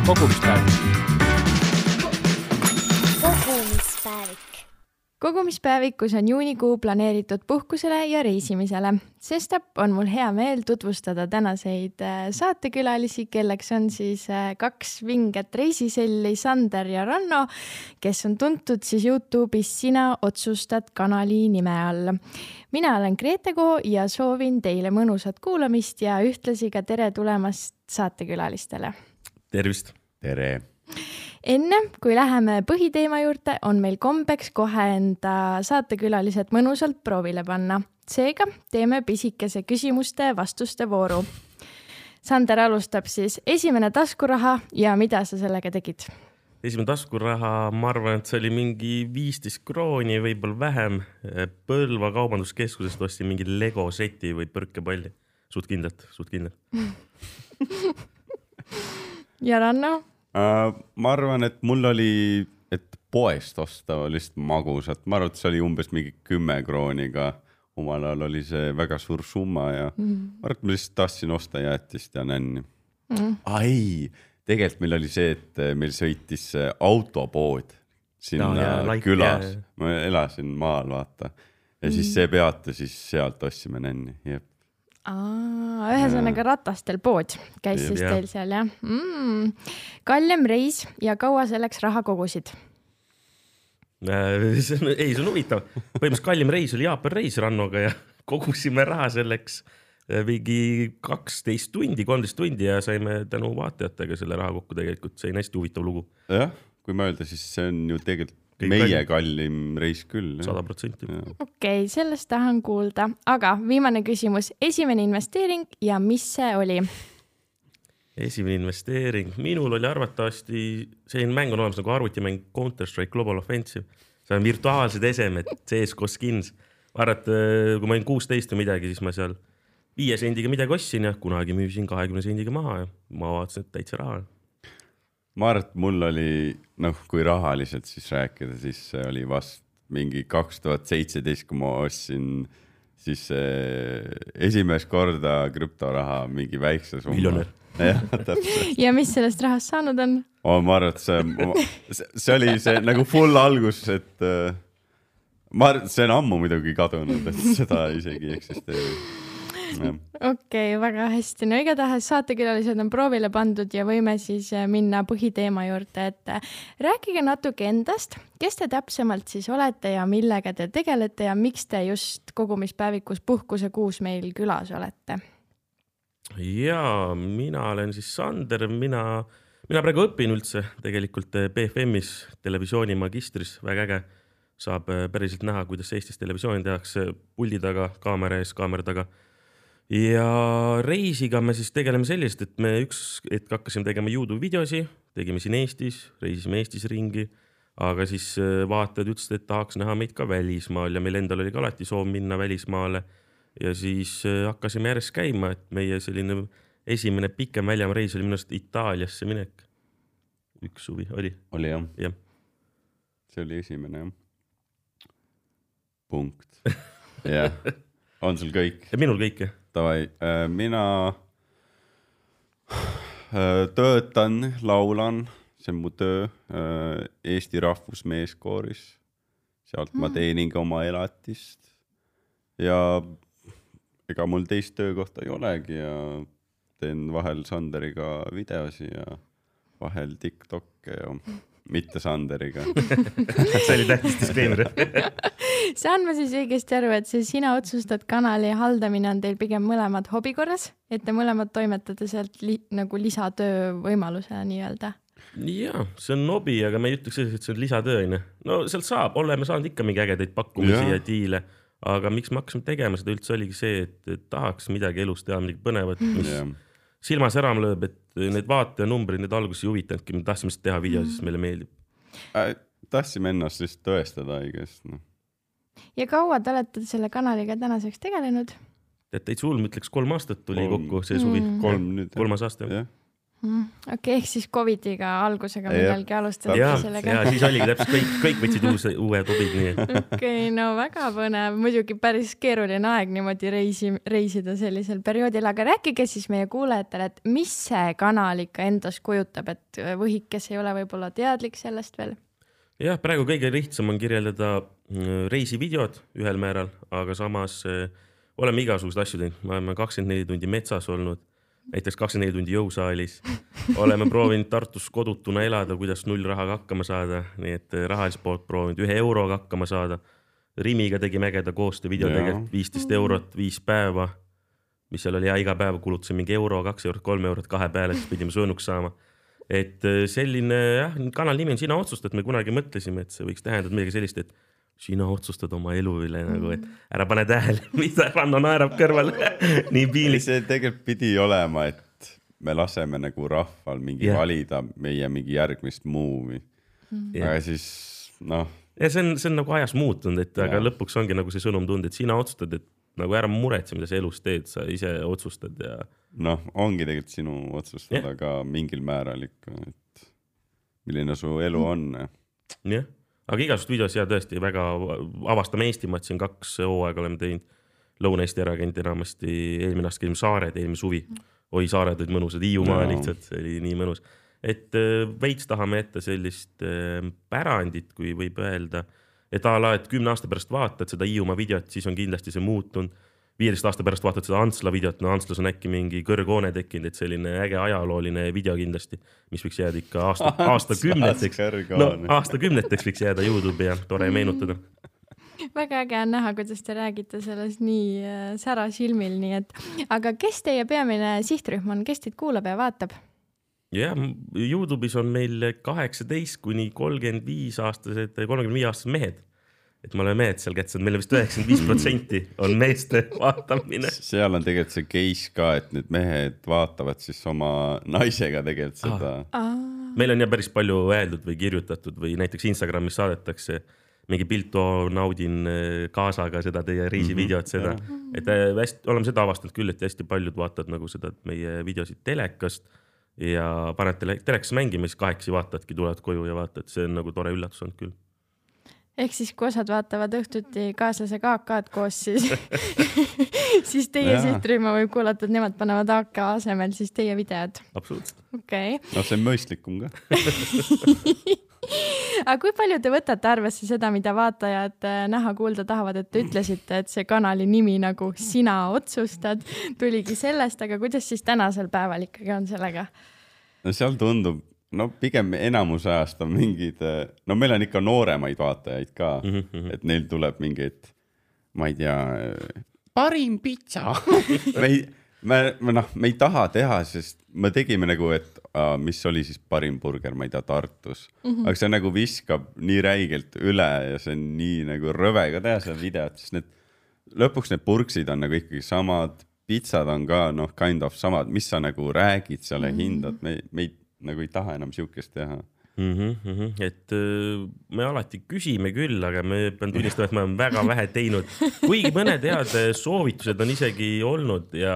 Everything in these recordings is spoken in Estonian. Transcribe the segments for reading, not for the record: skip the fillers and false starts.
Kogumispäevik. Kogumispäevikus on juunikuu planeeritud puhkusele ja reisimisele. Sestap on mul hea meel tutvustada tänaseid saatekülalisi, kelleks on siis kaks vinget reisiselli, Sander ja Ranno, kes on tuntud siis YouTube'is Sina otsustad kanali nime all. Mina olen Gretego ja soovin teile mõnusat kuulamist ja ühtlasi ka tere tulemast saatekülalistele. Tervist! Tere! Enne, kui läheme põhiteema juurde, on meil kombeks kohe enda saatekülalised mõnusalt proovile panna. Seega teeme pisikese küsimuste vastuste vooru. Sander alustab siis esimene taskuraha ja mida sa sellega tegid? Esimene taskuraha, ma arvan, et see oli mingi 15 krooni, võib-olla vähem. Põlva kaubanduskeskusest ostsin mingi Lego seti või põrkepalli. Suht kindlalt. Ja Ranno? Ma arvan, et mul oli, et poest osta lihtsalt magusat. Ma arvan, et see oli umbes mingi 10 krooniga. Omal ajal oli see väga suur summa ja ma arvan, et ma lihtsalt tahtsin osta jäätist ja nänni. Ai, tegelikult meil oli see, et meil sõitis autopood sinna külas. Ma elasin maal, vaata. Ja siis see peata, siis sealt ostsime nänni. Jep. Ühesõnaga ratastel pood käis siis teil seal, jah? Kallem reis ja kaua selleks raha kogusid? Ei, see on huvitav. Põhimõtteliselt kallim reis oli Jaapan reis Rannoga ja kogusime raha selleks mingi 12 tundi, 13 tundi ja saime tänu vaatajatega selle raha kokku tegelikult. See on hästi huvitav lugu. Jah, kui mõelda, siis see on ju tegelikult meie kallim reis küll. 100%. Okei, sellest tahan kuulda. Aga viimane küsimus. Esimene investeering ja mis see oli? Esimene investeering. Minul oli arvatavasti, selline mäng on olemas nagu arvutimäng Counter-Strike Global Offensive. See on virtuaalsed esemed, CSGO skins. Arvat, kui ma olin 16 või midagi, siis ma seal 5 sendiga midagi ostsin ja kunagi müüsin 20 sendiga maha ja ma vaatasin, et täitsa raha. Ma arvan, et mul oli, kui rahaliselt siis rääkida, siis see oli vast mingi 2017, kui ma ostsin siis esimest korda krüptoraha mingi väikse summa. Miljonär. Ja mis sellest rahast saanud on? Ma arvan, et see oli see nagu full algus, et ma arvan, et see on ammu muidugi kadunud, et seda isegi eksisteerib. Okei, väga hästi. No igatahes saatekülalised on proovile pandud ja võime siis minna põhiteema juurde, et rääkige natuke endast, kes te täpsemalt siis olete ja millega te tegelete ja miks te just kogumispäevikus puhkuse kuus meil külas olete? Jaa, mina olen siis Sander, mina praegu õpin üldse tegelikult BFM-is televisiooni magistris, väga äge. Saab päriselt näha, kuidas Eestis televisiooni tehakse puldi taga, kaamera ees, kaamera taga. Ja reisiga me siis tegeleme sellist, et me hetk hakkasime tegema YouTube videosi, tegime siin Eestis, reisisime Eestis ringi, aga siis vaatajad ütlesid, et tahaks näha meid ka välismaal ja meil endal oli ka alati soov minna välismaale ja siis hakkasime järjest käima, et meie selline esimene pikem väljama reis oli minust Itaaliasse minek. Üks suvi oli. Oli jah. Ja. See oli esimene jah. Punkt. Jah. On sul kõik? Ja minul kõik, jah. Tavai, mina töötan, laulan, see on mu töö Eesti rahvusmeeskooris. Sealt ma teenin ka oma elatist ja ega mul teist töökohta ei olegi ja teen vahel Sanderiga videosi ja vahel TikTokke ja mitte Sanderiga. See oli tähtis disclaimer. Saan ma siis õigesti aru, et see Sina otsustad kanali haldamine on teil pigem mõlemad hobikorras, et te mõlemad toimetate sealt nagu lisatöö võimalusena nii-öelda? Jaa, see on hobi, aga me ei ütleks, et see on lisatöö. No sealt saab, oleme saanud ikka mingi ägedaid pakkumisi ja diile, aga miks me hakkasime tegema seda üldse oligi see, et tahaks midagi elus teha, midagi põnevat, mis silmas ära lööb, et need vaataja numbrid, need alguses ei huvitanudki, me tahtsime seda teha video, siis meile meeldib. Tahtsime ennast lihtsalt tõestada õigest. Ja kaua te olete selle kanaliga tänaseks tegelenud? Täitsa hull, ma ütleks 3 aastat tuli kokku see suvi. 3 3 aasta. Okei, ehk siis Covidiga algusega millalgi alustada sellega. Ja siis oligi täpselt kõik võtsid uue tubid. Okei, no väga põnev. Muidugi päris keeruline aeg niimoodi reisida sellisel perioodil, aga rääkige siis meie kuulajatele, et mis see kanal ikka endast kujutab, et võhik, kes ei ole võib-olla teadlik sellest veel? Jah, praegu kõige lihtsam on kirjeldada reisivideod ühel määral, aga samas oleme igasugused asju teinud. Ma olen 24 tundi metsas olnud. Näiteks 24 tundi jõusaalis. Oleme proovinud Tartus kodutuna elada, kuidas 0 rahaga hakkama saada. Nii et rahaliselt poolt proovinud 1 euroga hakkama saada. Rimiga tegi mägeda koostöö video tegelikult 15 eurot, 5 päeva. Mis seal oli iga päev kulutusin mingi euro, 2 eurot, 3 eurot, 2 peale, siis pidime sõnuks saama. Et selline kanal nimi on Sina otsustad. Me kunagi mõtlesime, et see võiks tähendada midagi sellist, et sina otsustad oma elu üle, nagu, et ära pane tähele, mida Ranno naerab kõrval. Nii piilik. See tegelikult pidi olema, et me laseme nagu rahval mingi valida meie mingi järgmist muuvi. Aga siis, noh. Ja see on nagu ajas muutunud, et aga lõpuks ongi nagu see sõnum tund, et sina otsustad, et nagu ära muretse, mida sa elus teed, sa ise otsustad. Ja... Noh, ongi tegelikult sinu otsustada ka mingil määral ikka, et milline su elu on. Jah. Aga igasugust videos tõesti väga avastame Eestimaad, siin 2 hooaega oleme teinud. Lõuna-Eesti ärakäinud enamasti, eelmine aasta käime Saared, eelmine suvi. Oi, Saared olid mõnusad, Hiiumaa lihtsalt, see oli nii mõnus. Et veits tahame ette sellist pärandit, kui võib öelda, et et 10 aasta pärast vaatad seda Hiiumaa videot, siis on kindlasti see muutunud. 15 aasta pärast vaatad seda Antsla videot, no Antslas on äkki mingi kõrghoone tekkinud, et selline äge ajalooline video kindlasti, mis võiks jääda ikka aastakümneteks. No, aastakümneteks võiks jääda YouTube'i ja tore meenutada. Väga äge on näha, kuidas te räägite sellest nii sära silmil, nii et, aga kes teie peamine sihtrühm on, kes teid kuulab ja vaatab? Jah, YouTube'is on meil 18 kuni 35 aastased mehed. Et me oleme mehed seal kätsad, meil on vist 95% on meeste vaatamine. Seal on tegelikult see case ka, et need mehed vaatavad siis oma naisega tegelikult seda. Meil on ja päris palju öeldud või kirjutatud või näiteks Instagramis saadetakse mingi pilt, naudin kaasaga seda teie reisivideot seda. Et oleme seda avastanud küll, et hästi paljud vaatavad nagu seda meie videosid telekast ja paned telekas mängima, siis 8 vaatadki, tulevad koju ja vaatad, see on nagu tore üllatus on küll. Ehk siis, kui osad vaatavad õhtuti kaaslase AK-d koos, siis teie sihtrühma võib kuulata, et nemad panevad AK asemel siis teie videod. Absoluutselt. Okay. No see on mõistlikum ka. Aga kui palju te võtate arvesse seda, mida vaatajad näha kuulda tahavad, et te ütlesite, et see kanali nimi nagu Sina otsustad tuligi sellest, aga kuidas siis tänasel päeval ikkagi on sellega? No seal tundub, no pigem enamus ajast on mingid, no meil on ikka nooremaid vaatajaid ka, et neil tuleb mingid, ma ei tea, parim pitsa. me ei taha teha, sest me tegime nagu, et mis oli siis parim burger, ma ei tea, Tartus. Aga see nagu viskab nii räigelt üle ja see on nii nagu rõve ka teha seda videot, sest lõpuks need purksid on nagu ikkagi samad, pitsad on ka kind of samad, mis sa nagu räägid seal ja hindad, me nagu ei taha enam siukest teha. Et me alati küsime küll, aga me pean tunnistama, et me oleme väga vähe teinud. Kuigi mõned head soovitused on isegi olnud ja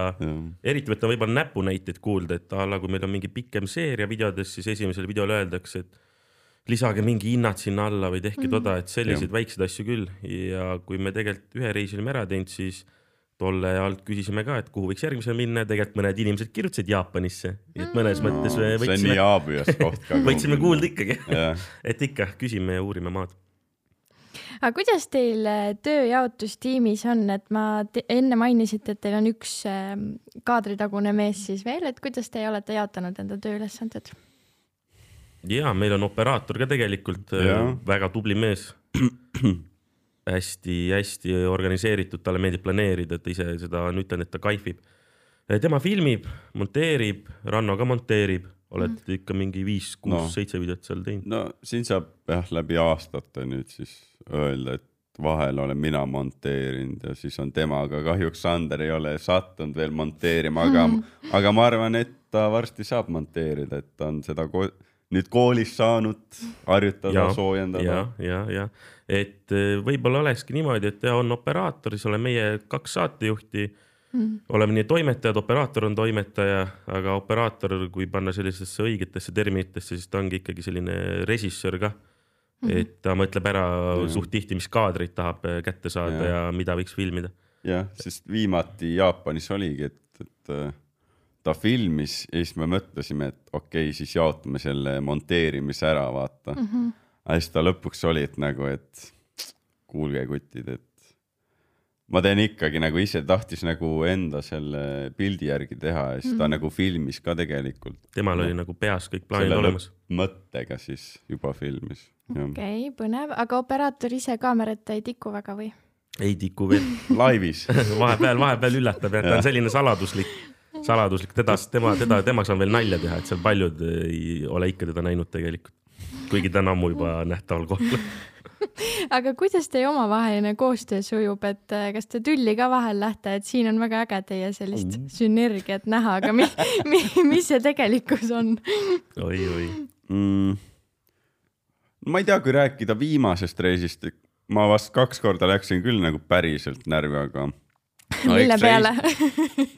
eriti võtta võib-olla näpunäiteid kuulda, et kui meil on mingi pikem seeria videodes, siis esimesel videol öeldakse, et lisage mingi hinnad sinna alla või tehke toda, et selliseid väikseid asju küll. Ja kui me tegelikult ühe reisi olime ära teinud, siis tolle alt küsisime ka, et kuhu võiks järgmisel minna. Tegelikult mõned inimesed kirjutasid Jaapanisse. Et mõnes mõttes see on nii aabias koht ka. Võtsime kuulda ikkagi. Et ikka küsime ja uurime maad. Aga kuidas teil tööjaotustiimis on? Et ma enne mainisite, et teil on üks kaadritagune mees siis veel. Et kuidas te olete jaotanud enda tööülesanded? Ja, meil on operaator ka tegelikult väga tubli mees. Hästi organiseeritud, talle meeldib planeerida, et ise seda on ütlen, et ta kaifib. Tema filmib, monteerib, Ranno ka monteerib, oled ikka mingi 5, 6, 7 videot seal teinud. No siin saab läbi aastate nüüd siis öelda, et vahel olen mina monteerinud ja siis on tema, aga kahjuks Sander ei ole sattunud veel monteerima, aga ma arvan, et ta varsti saab monteerida, et ta on seda nüüd koolis saanud harjutada, soojendada. Ja. Et võib-olla olekski niimoodi, et on operaator, siis olen meie 2 saatejuhti oleme nii toimetajad, operaator on toimetaja, aga operaator, kui panna sellisesse õigetesse terminitesse, siis ta ongi ikkagi selline režissöör ka. Et ta mõtleb ära suht tihti, mis kaadreid tahab kätte saada ja mida võiks filmida. Jah, sest viimati Jaapanis oligi, et ta filmis ja siis me mõtlesime, et okei, siis jaotame selle monteerimise ära, vaata. Aga siis ta lõpuks oli, et nagu, et kuulge kutid, et ma teen ikkagi nagu ise tahtis nagu enda selle pildi järgi teha ja siis ta nagu filmis ka tegelikult. Temal oli nagu peas kõik plaanid olemas. Mõttega siis juba filmis. Okei, põnev. Aga operaator ise kaamerata ei tiku väga või? Ei tiku veel. Laivis. vahepeal üllatab, et ta on selline saladuslik. Tema saan veel nalja teha, et seal paljud ei ole ikka teda näinud tegelikult. Kuigi ta on ammu juba nähtaval kohal. Aga kuidas teie omavaheline koostöö sujub, et kas te tülli ka vahel lähte, et siin on väga äge teie sellist sünergiat näha, aga mis see tegelikkus on? Oi. Ma ei tea, kui rääkida viimasest reisist, ma vast 2 korda läksin küll nagu päriselt närvi, aga mille peale?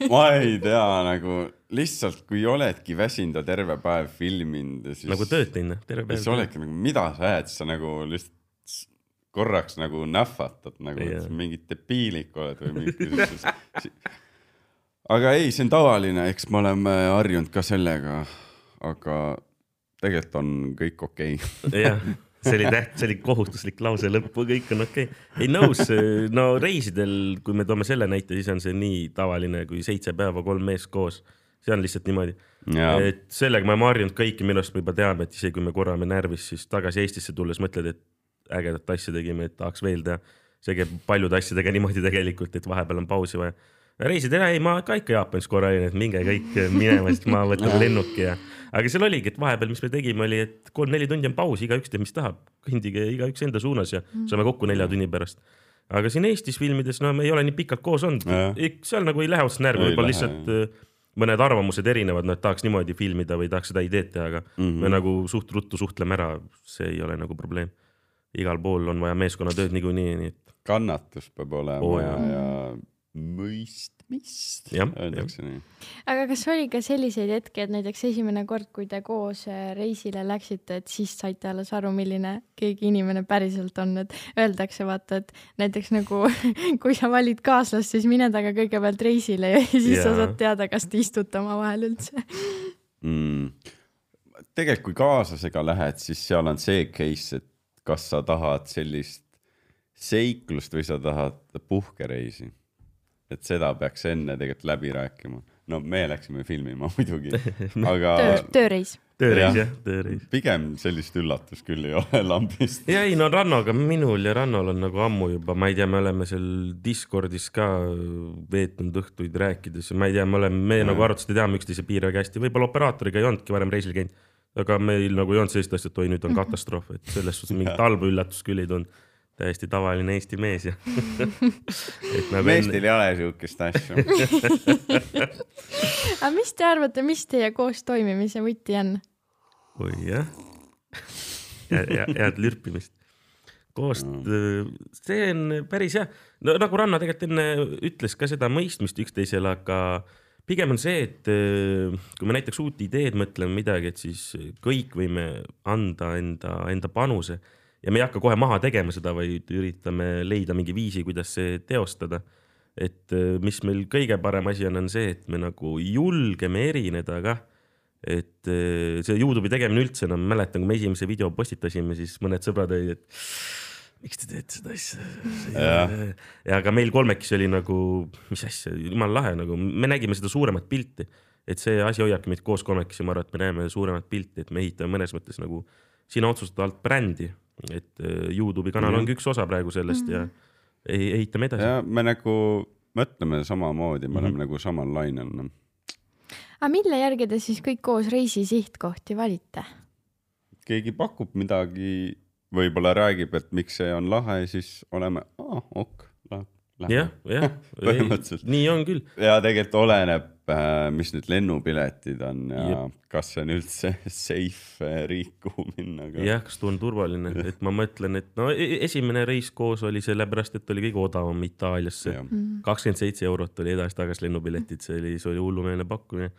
Ma ei tea, nagu lihtsalt kui oledki väsinda terve päev filminud siis, nagu tööd teinud terve päev. Siis oledki nagu, mida sa jääd, sa nagu lihtsalt korraks nagu nähvatad, nagu et mingid debiilik oled või mingid aga ei, see on tavaline, eks me oleme harjunud ka sellega, aga tegelikult on kõik okei. Jah, see oli kohustuslik lause lõppu, kõik on okei. Ei nõus, no reisidel, kui me toome selle näite, siis on see nii tavaline, kui 7 päeva 3 mees koos. See on lihtsalt niimoodi. Et sellega me harjunud kõiki, millest me juba teame, et isegi kui me korrame närvis, siis tagasi Eestisse tulles mõtled, et ägedat asja tegime, et tahaks veel teha. See käib paljude asjadega niimoodi tegelikult, et vahepeal on pausi vaja. Reisid ei, ma ka ikka Jaapanis korra olin, et minge kõik minema, siis ma võtan lennuki. Aga seal oligi, et vahepeal, mis me tegime, oli, et 3-4 tundi on paus, igaüks teeb, mis tahab. Kõndige igaüks enda suunas ja saame kokku 4 tunni pärast. Aga siin Eestis filmides, no me ei ole nii pikalt koos olnud. Seal nagu ei lähe otsast närvi, võib-olla lihtsalt mõned arvamused erinevad, no et tahaks niimoodi filmida või tahaks seda ideed teha, aga me nagu suht ruttu suhtleme ära, see ei ole nagu probleem. Igal pool on vaja meeskonnatööd niikuinii. Kannatus peab olema ja mõistmist. Aga kas oli ka selliseid hetki, et näiteks esimene kord, kui te koos reisile läksite, et siis saite alles aru, milline keegi inimene päriselt on, et öeldakse vaata, et näiteks nagu kui sa valid kaaslast, siis mine taga kõigepealt reisile ja siis sa saad teada, kas te istute oma vahel üldse. Tegelikult kui kaaslasega lähed, siis seal on see case, et kas sa tahad sellist seiklust või sa tahad puhkereisi. Et seda peaks enne tegelikult läbi rääkima. No me läksime filmima muidugi. Aga tööreis. Tööreis. Pigem sellist üllatus küll ei ole lambist. Ja ei, no Rannoga minul ja Rannol on nagu ammu juba, ma ei tea, me oleme seal Discordis ka veetnud õhtuid rääkides. Ma ei tea, me nagu arvates teame üksteise piir väga hästi. Võib-olla operaatoriga ei olnudki varem reisil käinud. Aga meil nagu ei olnud sellist asja, et nüüd on katastroof, et selles suhtes mingit halba üllatus küll ei tulnud. Täiesti tavaline Eesti mees. Nagu Eestil ei ole siukest asja. Aga mis te arvate, mis teie koos toimimise võti on? Oi jah. Head lürpimist. See on päris hea. No, nagu Ranna tegelikult enne ütles ka seda mõistmist üksteisele, aga pigem on see, et kui me näiteks uut ideed mõtleme midagi, et siis kõik võime anda enda panuse ja me ei hakka kohe maha tegema seda, vaid üritame leida mingi viisi, kuidas see teostada. Et mis meil kõige parem asi on see, et me nagu julgeme erineda ka. Et see YouTube'i tegemine üldse, no mäletan, kui me esimese video postitasime, siis mõned sõbrad olid, et miks te teete seda asja? Ja aga meil kolmekis oli nagu, mis asja, jumal lahe, nagu me nägime seda suuremat pilti, et see asi hoiabki meid koos kolmekis ja ma arvan, et me näeme suuremat pilti, et me ehitame mõnes mõttes nagu sina otsustada alt brändi, et YouTube'i kanal ongi üks osa praegu sellest ja ehitame edasi. Ja me nagu mõtleme samamoodi, me oleme nagu samal lainel. Aga mille järgi te siis kõik koos reisi sihtkohti valite? Keegi pakub midagi, võib-olla räägib, et miks see on lahe, siis oleme, jah, põhimõtteliselt. Nii on küll. Ja tegelikult oleneb, mis nüüd lennupiletid on ja kas see on üldse safe riik, kuhu minna. Jah, kas tuu on turvaline, et ma mõtlen, et no esimene reis koos oli sellepärast, et oli kõige odavam Itaaliasse. 27 eurot oli edasi-tagasi lennupiletid, see oli hullumeelne pakkumine.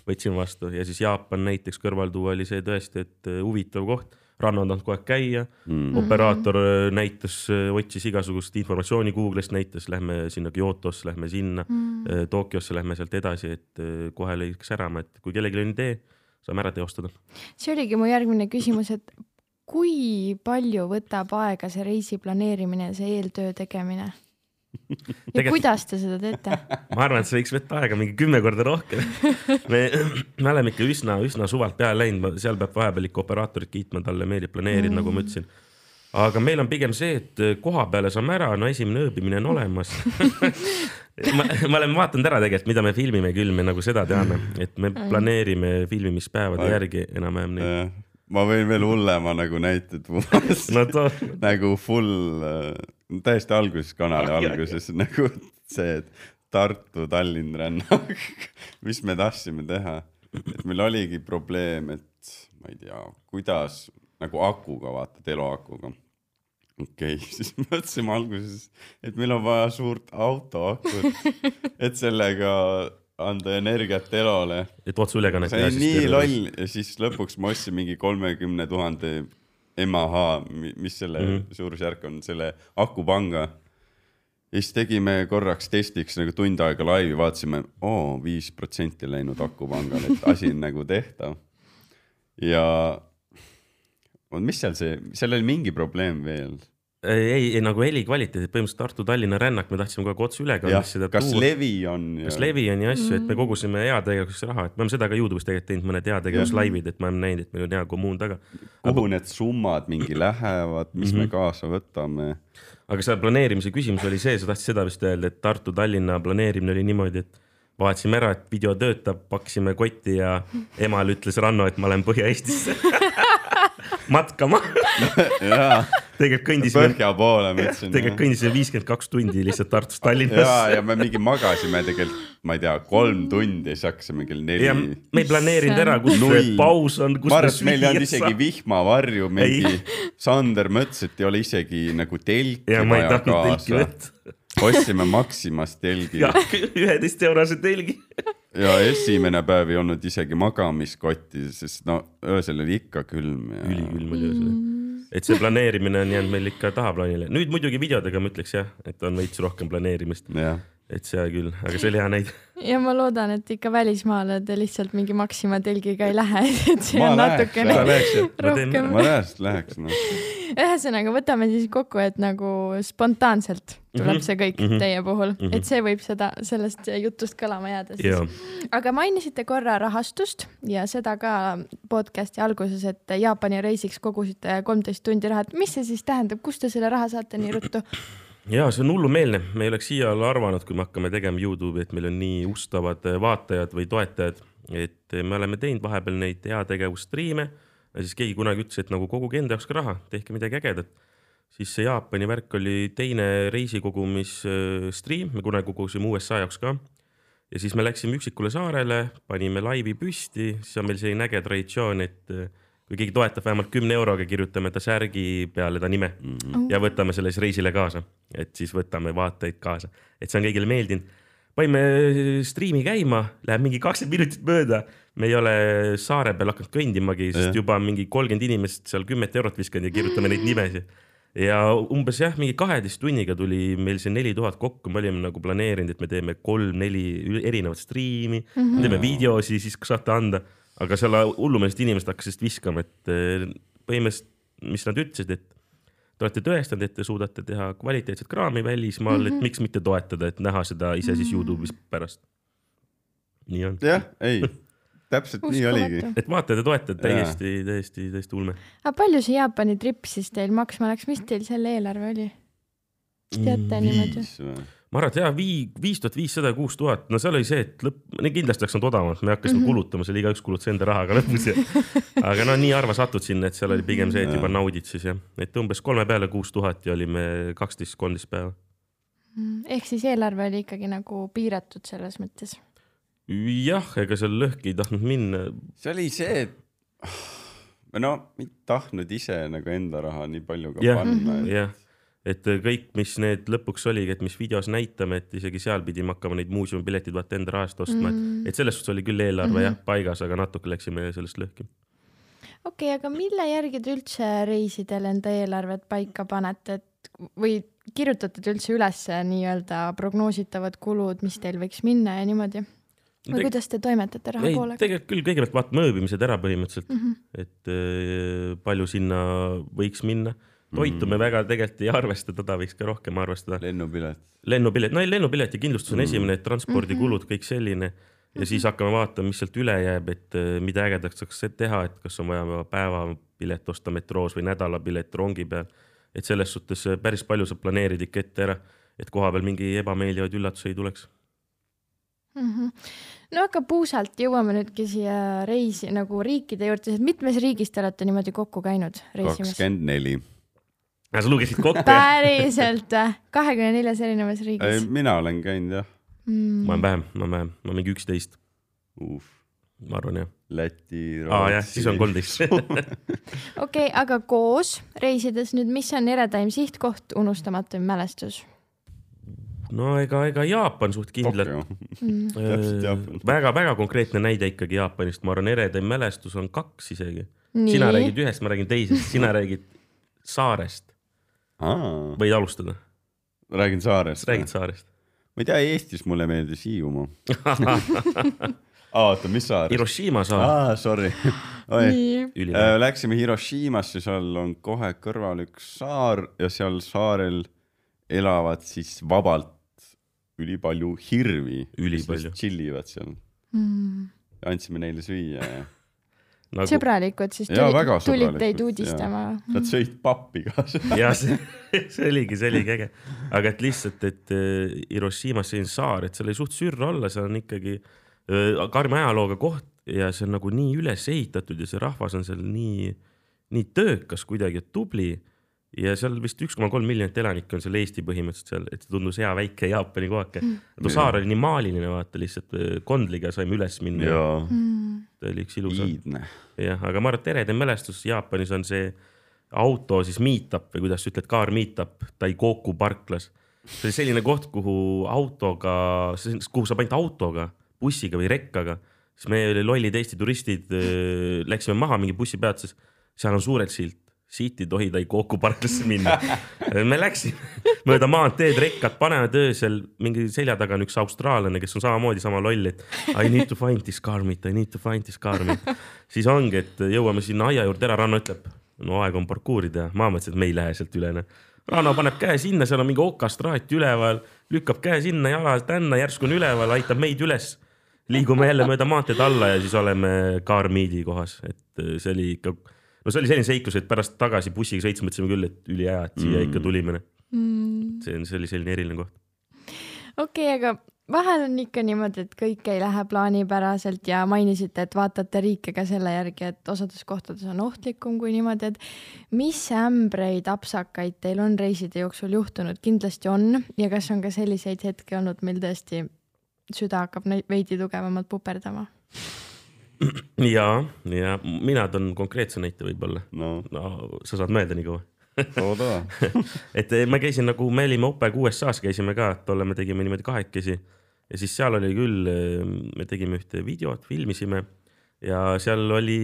Võtsin vastu ja siis Jaapan näiteks kõrvaltuua oli see tõesti, et huvitav koht. Ranno on tahtnud kogu aeg käia, operaator näitas, otsis igasugust informatsiooni Google'ist näitas, lähme sinna Kyotosse, lähme sinna, Tokyosse lähme sealt edasi, et kohe lõiks ärama, et kui kellelgi on idee, saame ära teostada. See oligi mu järgmine küsimus, et kui palju võtab aega see reisi planeerimine ja see eeltöö tegemine? Ja kuidas te seda teete? Ma arvan, et see võiks võtta aega mingi 10 korda rohkem. Me oleme ikka üsna suvalt peale läinud, seal peab vahepeal ikka operaatorit kiitma, talle meeldib planeerida, nagu ma ütlesin. Aga meil on pigem see, et koha peale saame ära, no esimene ööbimine on olemas. ma olen vaatanud ära tegelikult, mida me filmime küll, me nagu seda teame, et me planeerime filmimispäevade järgi enam-vähem neid. Ma võin veel hullema nagu näited nagu full, täiesti alguses kanali alguses nagu see, et Tartu, Tallinn rännak, mis me tahtsime teha. Et meil oligi probleem, et ma ei tea, kuidas nagu akuga vaata, eluakuga. Okei, siis mõtlesime alguses, et meil on vaja suurt autoakut, et sellega anda energiat elole. Et otsuülekannet. See on nii loll ja siis lõpuks ma ostsin mingi 30 000 MAH, mis selle suurusjärk on, selle akupanga. Ja siis tegime korraks testiks nagu tund aega laivi, vaatasime, 5% läinud akupangal, et asi on nagu tehtav. Ja mis seal oli mingi probleem veel? Ei, nagu heli kvaliteedid, põhimõtteliselt Tartu-Tallinna rännak, me tahtsime kogu otsuülekannet seda kas tuua. Levi on? Kas levi on ja asju, et me kogusime heategevuseks raha, et me oleme seda ka YouTube'is tegelikult teinud mõned heategevuslaivid, et me oleme näinud, et meil on hea kommuun taga. Kuhu need summad mingi lähevad, mis me kaasa võtame? Aga see planeerimise küsimus oli see, sa tahtsid seda vist öelda, et Tartu-Tallinna planeerimine oli niimoodi, et vaatasime ära, et video töötab, paksime kotti ja emal ütles Ranno, et ma olen Põhja-Eestisse matkama. Tegelikult kõndisime Põhja poole, mõtlesin. Tegelikult kõndisime 52 tundi lihtsalt Tartust Tallinnasse. Ja me mingi magasime tegelikult, ma ei tea, 3 tundi, siis hakkasime kell 4. Ja me ei planeerinud ära, kus paus on, kus ma arvan, meil ei olnud isegi vihmavarju, mingi Sander mõtles, et ei ole isegi nagu telki vaja kaasa. Ostsime Maximast telgi. Ja 11 eurose telgi. Ja esimene päev ei olnud isegi magamiskotti, sest öösel oli ikka külm. Ülikülm oli öösel. Et see planeerimine on jäänud meil ikka tahaplaanile. Nüüd muidugi videodega ma ütleks jah, et on veits rohkem planeerimist. Et see küll, aga see oli hea näid. Ja ma loodan, et ikka välismaale te lihtsalt mingi Maxima telgiga ei lähe, et see on natukene rohkem. Ma läheks. Ühesõnaga, võtame siis kokku, et nagu spontaanselt tuleb see kõik teie puhul, et see võib sellest jutust kõlama jääda siis. Aga mainisite korra rahastust ja seda ka podcasti alguses, et Jaapani reisiks kogusite 13 tundi raha. Mis see siis tähendab, kust te selle raha saate nii ruttu? Jaa, see on hullumeelne. Me ei oleks siia arvanud, kui me hakkame tegema YouTube'i, et meil on nii ustavad vaatajad või toetajad, et me oleme teinud vahepeal neid heategevusstriime ja siis keegi kunagi ütles, et nagu koguge enda jaoks ka raha, tehke midagi ägedat. Siis see Jaapani värk oli teine reisikogumisstream, me kunagi kogusime USA jaoks ka. Ja siis me läksime üksikule saarele, panime laivi püsti, siis on meil selline äge traditsioon, et kui keegi toetab vähemalt 10 euroga, kirjutame ta särgi peale ta nime ja võtame selle reisile kaasa. Et siis võtame vaatajaid kaasa. Et see on kõigile meeldinud. Paime striimi käima, läheb mingi 20 minutit mööda. Me ei ole saare peal hakanud kõndimagi, sest juba mingi 30 inimest seal 10 eurot viskanud ja kirjutame neid nimesi. Ja umbes mingi 12 tunniga tuli meil see 4000 kokku, me olime nagu planeerinud, et me teeme 3-4 erinevat striimi, teeme videosi, siis saate anda. Aga selle hullumeelest inimesed hakkasid viskama, et põhimõtteliselt, mis nad ütlesid, et te olete tõestanud, et te suudate teha kvaliteetset kraami välismaal, et miks mitte toetada, et näha seda ise siis YouTube'is pärast. Nii on. Jah, ei, täpselt nii oligi. Et vaata, te toetate täiesti ulme. Aga palju see Jaapani trip siis teil maksma läks, mis teil selle eelarve oli? Teate niimoodi? Ma arvan, et 5500, 6000, no seal oli see, et kindlasti läks nad odavamalt, me hakkasime kulutama, seal iga üks kulutas enda rahaga lõpus. Aga nii harva satud sinna, et seal oli pigem see, et juba naudid siis. Et umbes 3 peale 6000 ja olime 12-13 päeva. Ehk siis eelarve oli ikkagi nagu piiratud selles mõttes. Jah, ega seal lõhki ei tahtnud minna. See oli see, et no ei tahtnud ise nagu enda raha nii palju ka panna. Jah, et kõik, mis need lõpuks oligi, et mis videos näitame, et isegi seal pidime hakkama neid muuseumipiletid vaata enda rahast ostma, et selles suhtes oli küll eelarve jah paigas, aga natuke läksime sellest lõhki. Okei, aga mille järgi te üldse reisidel enda eelarvet paika panete, et või kirjutate te üldse üles nii-öelda prognoositavad kulud, mis teil võiks minna ja niimoodi? Või kuidas te toimetate raha poolega? Tegelikult küll kõigepealt vaatame ööbimised ära põhimõtteliselt, et palju sinna võiks minna. Toitu me väga tegelikult ei arvesta, teda võiks ka rohkem arvestada. Lennupilet, lennupilet ja kindlustus on esimene, et transpordikulud, kõik selline. Ja siis hakkame vaatama, mis sealt üle jääb, et mida ägedaks saaks teha, et kas on vaja päevapilet osta metroos või nädalapilet rongi peal. Et selles suhtes päris palju saab planeerida ikka ette ära, et koha peal mingi ebameeldivaid üllatusi ei tuleks. No aga puusalt jõuame nüüdki siia reisi nagu riikide juurde, et mitmes riigis te olete niimoodi kokku käinud reisimas? 24. Sa lugesid kokku? Päriselt 24 erinevas riigis? Mina olen käinud, jah. Ma olen vähem, ma mingi 11. Ma arvan, jah. Läti, Rootsi. Jah, siis on 13. Okei, aga koos reisides nüüd, mis on eredaim sihtkoht, unustamatu mälestus? No ega Jaapan suht kindlalt. Väga konkreetne näide ikkagi Jaapanist. Ma arvan, eredaim mälestus on 2 isegi. Sina räägid ühest, ma räägin teisest. Sina räägid saarest. Võid alustada? Räägin saarest. Räägid saarest. Ma ei tea, Eestis mulle meeldis Hiiumaa. Oota, mis saar? Hiroshima saar. Sorry. Läksime Hiroshimasse, seal on kohe kõrval üks saar ja seal saarel elavad siis vabalt ülipalju hirvi. Ülipalju. Chillivad seal. Andsime neile süüa ja... Sõbralikud, siis tulid teid uudistama. Nad sõid pappi ka. Ja see oligi äge. Aga et lihtsalt, et Hiroshimas see on saar, et seal ei suht sürra olla, seal on ikkagi karmi ajalooga koht ja see on nagu nii üles ehitatud ja see rahvas on seal nii töökas kuidagi, et tubli. Ja seal vist 1,3 miljonit elanikku on seal Eesti põhimõtteliselt seal, et see tundus hea väike Jaapani kohake. Too saar oli nii maaliline, vaata lihtsalt kondliga saime üles minna. Ta oli üks ilus. Jah, aga ma arvan, et eredaim mälestus Jaapanis on see auto siis meetup või kuidas sa ütled, kaar meetup Daikoku parklas. See oli selline koht, kuhu saab ainult autoga, bussiga või rekkaga. Siis me lollid Eesti turistid läksime maha mingi bussipeatuses. Seal on suured silt. Siit ei tohi Daikoku parklasse minna. Me läksime mööda maanteed, rekkad, panevad öösel mingi selja taga on üks austraallane, kes on samamoodi sama loll, et I need to find this car meet. Siis ongi, et jõuame sinna aia juurde ära, Ranno ütleb, no aeg on parkuurida. Ma mõtlesin, et me ei lähe sealt üle. Ranno paneb käe sinna, seal on mingi okastraat üleval, lükkab käe sinna, jala tänna, järsku on üleval, aitab meid üles. Liigume jälle mööda maanteed alla ja siis oleme car meet'i kohas. Et see oli ikka... No see oli selline seiklus, et pärast tagasi bussiga sõitsa mõtlesime küll, et üli hea, et siia ikka tulime. See oli selline eriline koht. Okei, aga vahel on ikka niimoodi, et kõik ei lähe plaanipäraselt ja mainisite, et vaatate riike ka selle järgi, et osades kohtades on ohtlikum kui niimoodi, et mis ämbreid, apsakaid teil on reiside jooksul juhtunud? Kindlasti on ja kas on ka selliseid hetki olnud, meil tõesti süda hakkab veidi tugevamalt puperdama? Ja mina toon konkreetse näite võib-olla. No, sa saad mõelda nii kaua. Et me käisin nagu, me olime OPEG USA-s käisime ka, tolle me tegime niimoodi 2 ja siis seal oli küll, me tegime ühte videot, filmisime ja seal oli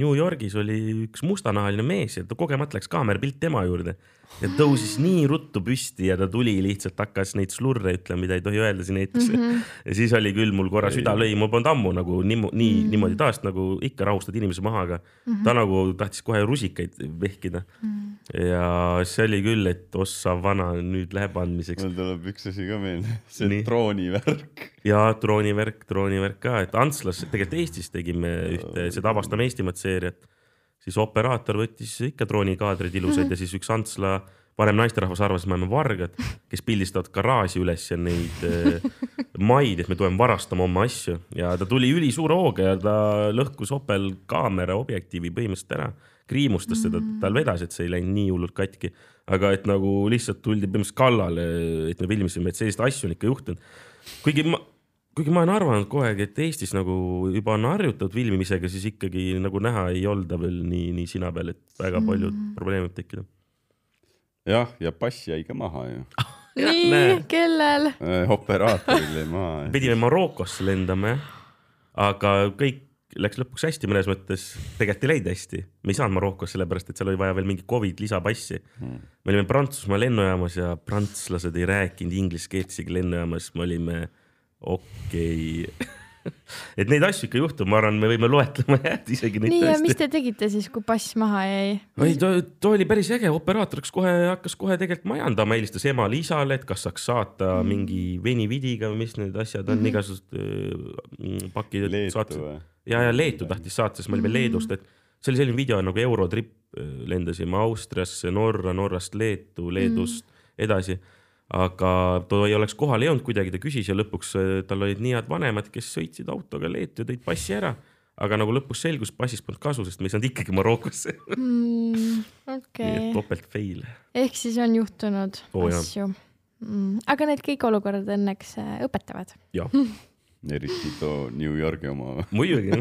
New Yorgis oli üks mustanahaline mees ja ta kogemata läks kaamerapilt tema juurde ja tõusis nii ruttu püsti ja ta tuli lihtsalt hakkas neid slurre ütlema, mida ei tohi öelda siin eetris. Ja siis oli küll mul korra süda lõi, mul polnud ammu nagu niimoodi taast nagu ikka rahustad inimese maha, aga ta nagu tahtis kohe rusikaid vehkida. Ja see oli küll, et ossa vana nüüd läheb andmiseks. Mul tuleb üks asi ka meelde, see droonivärk. Ja droonivärk ka, et Antslas, tegelikult Eestis tegime seda Avastame Eestimat seeriat. Siis operaator võttis ikka droonikaadrid ilusad ja siis üks Antsla varem naisterahvas arvas, et me oleme vargad, kes pildistavad garaaži üles ja neid maid, et me tuleme varastama oma asju ja ta tuli ülisuure hooga ja ta lõhkus Opel kaamera objektiivi põhimõtteliselt ära, kriimustas seda, tal vedas, et see ei läinud nii hullult katki, aga et nagu lihtsalt tuldi põhimõtteliselt kallale, et me filmisime, et sellist asju on ikka juhtunud. Kuigi ma olen arvanud kogu aeg, et Eestis nagu juba on harjutatud filmimisega, siis ikkagi nagu näha ei olda veel nii sina peal, et väga palju probleeme võib tekkida. Jah, ja pass jäi ka maha ju. Nii, kellel? Operaatoril jäi maha. Pidime Marokosse lendama, aga kõik läks lõpuks hästi mõnes mõttes, tegelikult ei läinud hästi. Me ei saanud Marokosse sellepärast, et seal oli vaja veel mingi COVID lisapassi. Me olime Prantsusmaa lennujaamas ja prantslased ei rääkinud inglise keelt isegi lennujaamas, me olime okei. Et neid asju ikka juhtub, ma arvan, me võime loetlema jääd isegi neid nii, tõesti. ja mis te tegite siis, kui pass maha jäi? Ta oli päris äge, operaatoriks hakkas kohe tegelikult majandama, helistas emale isale, et kas saaks saata mingi venividiga või mis need asjad on, igasugused pakid. Leetu või? Ja Leetu tahtis saata, siis ma olin veel Leedust, et see oli selline video nagu Eurotrip, lendasime Austriasse, Norrast Leetu, Leedust edasi. Aga ta ei oleks kohale jõudnud kuidagi, ta küsis ja lõpuks tal olid nii head vanemad, kes sõitsid autoga Leetu ja tõid passi ära. Aga nagu lõpuks selgus, passist polnud kasu, sest me ei saanud ikkagi Marokosse. Okay. Topelt fail. Ehk siis on juhtunud asju. Aga need kõik olukorrad õnneks õpetavad. Jah. Eriti too New Yorki oma. Muidugi.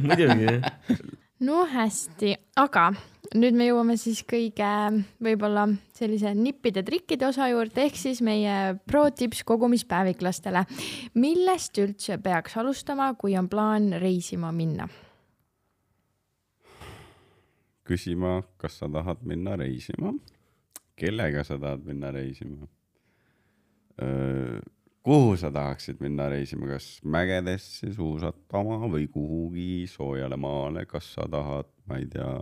No hästi, aga nüüd me jõuame siis kõige võib-olla sellise nippide trikkide osa juurde, ehk siis meie pro-tips kogumispäeviklastele. Millest üldse peaks alustama, kui on plaan reisima minna? Küsima, kas sa tahad minna reisima? Kellega sa tahad minna reisima? Kuhu sa tahaksid minna reisima, kas mägedesse suusatama või kuhugi soojale maale, kas sa tahad, ma ei tea,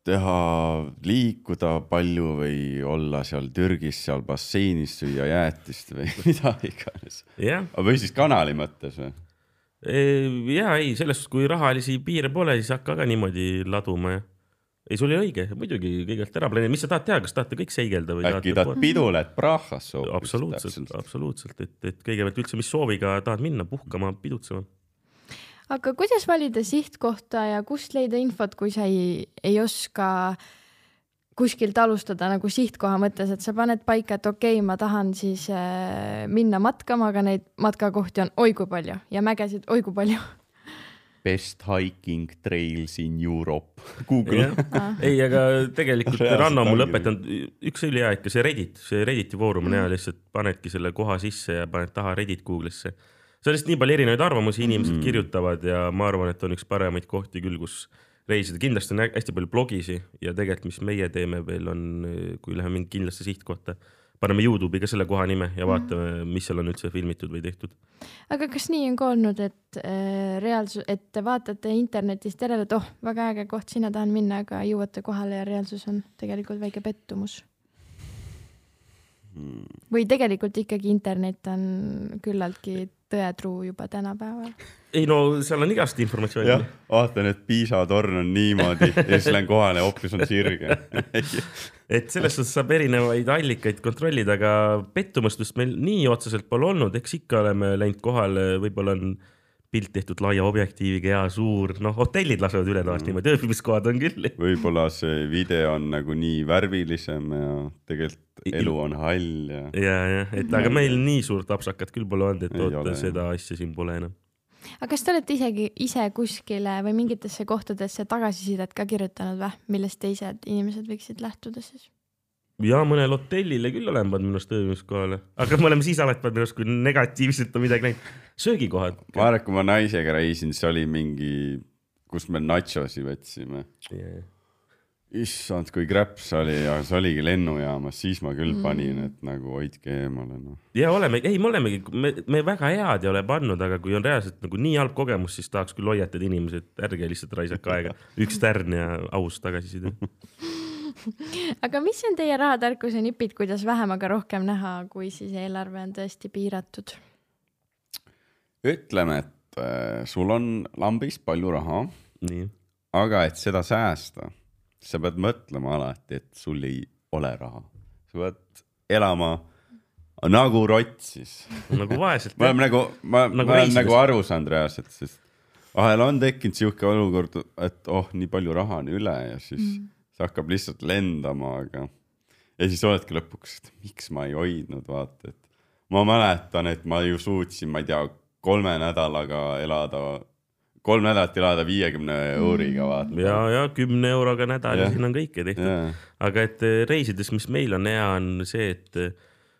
teha liikuda palju või olla seal Türgis, seal basseinis süüa jäätist või mida iganes. Või siis kanali mõttes või? Ja ei, sellest kui rahalisi piire pole, siis hakka ka niimoodi laduma ja. Ei, sul oli õige, muidugi kõigelt ära planeerida. Mis sa tahad teha, kas tahate kõik seigelda? Või äkki tahad pidule, et Prahas soovist? Absoluutselt, et kõigepealt üldse mis sooviga tahad minna, puhkama, pidutsema. Aga kuidas valida sihtkohta ja kust leida infot, kui sa ei oska kuskilt alustada nagu sihtkoha mõttes, et sa paned paika, et okei, ma tahan siis minna matkama, aga neid matkakohti on oi kui palju ja mägesid oi kui palju. Best hiking trails in Europe. Google. Ei, aga tegelikult Ranno mul õpetanud üks oli hea ikka see Redditi foorum on hea, lihtsalt panedki selle koha sisse ja paned taha Reddit Google'isse. Sellest nii palju erinevaid arvamusi inimesed kirjutavad ja ma arvan, et on üks paremaid kohti küll, kus reisida. Kindlasti on hästi palju blogisi ja tegelikult, mis meie teeme veel on, kui läheme mingi kindlasse sihtkohta, paneme YouTube'i ka selle koha nime ja vaatame, mis seal on üldse filmitud või tehtud. Aga kas nii on ka olnud, et et vaatate internetist järele, et väga äge koht, sinna tahan minna, aga jõuate kohale ja reaalsus on tegelikult väike pettumus? Või tegelikult ikkagi internet on küllaltki tõetruu juba tänapäeval? Ei no, seal on igast informatsiooni. Jah, vaatan, et Piisa torn on niimoodi ja siis lähen kohale ja hoopis on sirge. Et sellest saab erinevaid allikaid kontrollida, aga pettumustust meil nii otseselt pole olnud, eks ikka oleme läinud kohale, võib-olla on pilt tehtud laia objektiiviga ja suur, hotellid lasevad üle taas niimoodi, ööbimiskohad on küll. Võib-olla see video on nagu nii värvilisem ja tegelikult elu on hall. Ja, aga meil nii suurt apsakat küll pole olnud, et seda asja siin pole enam. Aga kas te olete ise kuskile või mingitesse kohtadesse tagasisidet ka kirjutanud või, millest teised inimesed võiksid lähtuda siis? Ja mõnel hotellile küll olen pannud minust ööbimiskohale, aga me oleme siis alati pannud minust, kui negatiivselt on midagi näinud. Söögikohad. Ma arvan, kui ma naisega reisin, see oli mingi, kus me nachosi võtsime. Issand, kui kräps oli ja see oligi lennujaamas, siis ma küll panin, et nagu hoidke eemale. Ja me väga head ei ole pannud, aga kui on reaalselt nagu nii halb kogemus, siis tahaks küll hoiatada inimesed, ärge lihtsalt raisaka aega. Üks tärn ja aus tagasiside. Aga mis on teie rahatarkuse nipid, kuidas vähem, aga rohkem näha, kui siis eelarve on tõesti piiratud? Ütleme, et sul on lambis palju raha, aga et seda säästa, sa pead mõtlema alati, et sul ei ole raha. Sa pead elama nagu rott siis. Nagu vaeselt. Ma olen nagu aru saanud reaalselt, sest vahel on tekkinud siuke olukord, et nii palju raha on üle ja siis see hakkab lihtsalt lendama, aga ja siis oledki lõpuks, et miks ma ei hoidnud, vaata, et ma mäletan, et ma ju suutsin, ma ei tea, 3 nädalat elada 50 euriga, vaata. Ja 10 euroga nädal ja siin on kõike tehtud. Aga et reisides, mis meil on hea, on see, et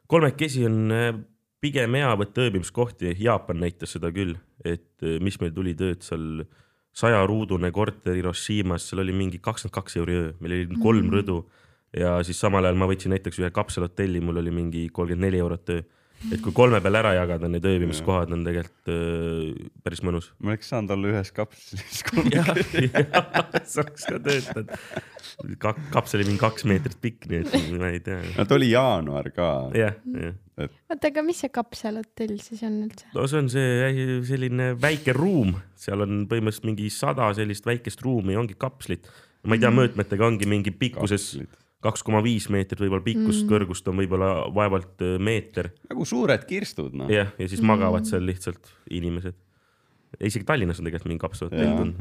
kolmekesi on pigem hea võtta ööbimiskohti. Jaapan näitas seda küll, et mis meil tuli tööd seal 100-ruudune korter Hiroshimas, seal oli mingi 22 euri öö, meil oli 3 rõdu ja siis samal ajal ma võtsin näiteks ühe kapselhotelli, mul oli mingi 34 eurot öö. Et kui 3 peal ära jagada, need ööbimiskohad on tegelikult päris mõnus. Ma oleks saanud olla ühes kapselis. Jah, saaks ka töötad. Kapsel oli mingi 2 meetrit pikk, nii et ma ei tea. Nad oli jaanuar ka. Jah. Oota, aga mis see kapselhotell siis on üldse? No see on selline väike ruum. Seal on põhimõtteliselt mingi 100 sellist väikest ruumi, ongi kapslit. Ma ei tea, mõõtmetega ongi mingi pikkuses 2,5 meetrit, võib-olla pikkust, kõrgust on võib-olla vaevalt meeter. Nagu suured kirstud, no. Ja siis magavad seal lihtsalt inimesed. Isegi Tallinnas on tegelikult mingi kapselhotell.